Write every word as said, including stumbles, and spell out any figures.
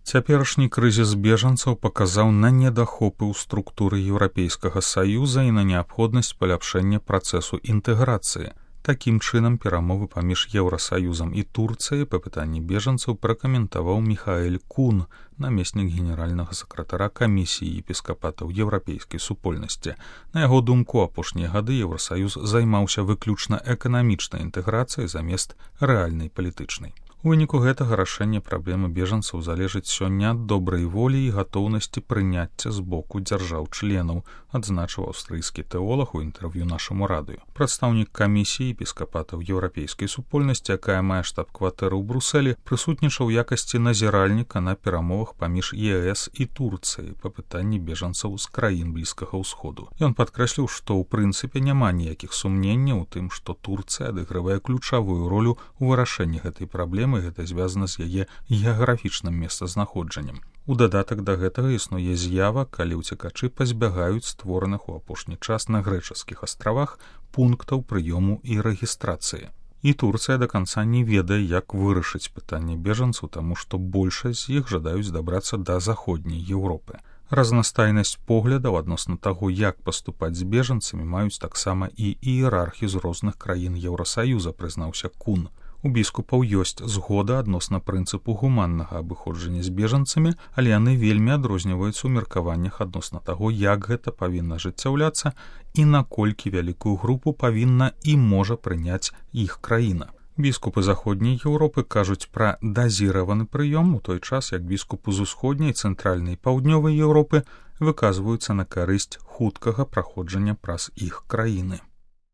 Цяперашні крызіс бежанцаў паказаў на недахопы ў структуры Еўрапейскага Саюза і на неабходнасць паляпшэння працэсу інтэграцыі. Такім чынам, перамовы паміж Еўрасаюзам і Турцыяй па пытанні бежанцаў пракаментаваў Міхаэль Кун, намеснік генеральнага сакратара камісіі епіскапатаў еўрапейскай супольнасці. На яго думку, апошнія гады Еўрасаюз займаўся выключна эканамічнай інтэграцыяй замест рэальнай палітычнай. У выніку гэтага рашэння праблемы бежанцаў залежыць сёння ад добрай волі і гатоўнасці прыняцця з боку дзяржаў-членаў, адзначыў аўстрыйскі тэолаг у інтэрв'ю нашаму радыё. Прадстаўнік камісіі епіскапатаў еўрапейскай супольнасці, якая мае штаб-кватэру ў Брусэлі, прысутнічаў у якасці назіральніка на перамовах паміж ЕС і Турцыяй па пытанні бежанцаў з краін Блізкага ўсходу. Ён падкрэсліў, што ў прынцыпе няма ніякіх сумненняў у тым, што Турцыя адыгрывае ключавую ролю ў вырашэнні гэтай праблемы, гэта звязана з яе геаграфічным месцазнаходжаннем. У дадатак да гэтага існуе з'ява, калі ўцекачы пазбягаюць створаных у апошні час на грэчаскіх астравах пунктаў прыёму і рэгістрацыі. І Турцыя да канца не ведае, як вырашыць пытанне бежанцаў, таму што большасць з іх жадаюць дабрацца да заходняй Еўропы. Разнастайнасць поглядаў адносна таго, як паступаць з бежанцамі, маюць таксама і іерархі з розных краін Еўрасаюза, прызнаўся Кун. У біскупаў ёсць згода адносна прынцыпу гуманнага абыходжання з бежанцамі, але яны вельмі адрозніваюцца ў меркаваннях адносна таго, як гэта павінна ажыццяўляцца і наколькі вялікую групу павінна і можа прыняць іх краіна. Біскупы заходняй Еўропы кажуць пра дазіраваны прыём, у той час як біскупы з усходняй, цэнтральнай і паўднёвай Еўропы выказваюцца на карысць хуткага праходжання праз іх краіны.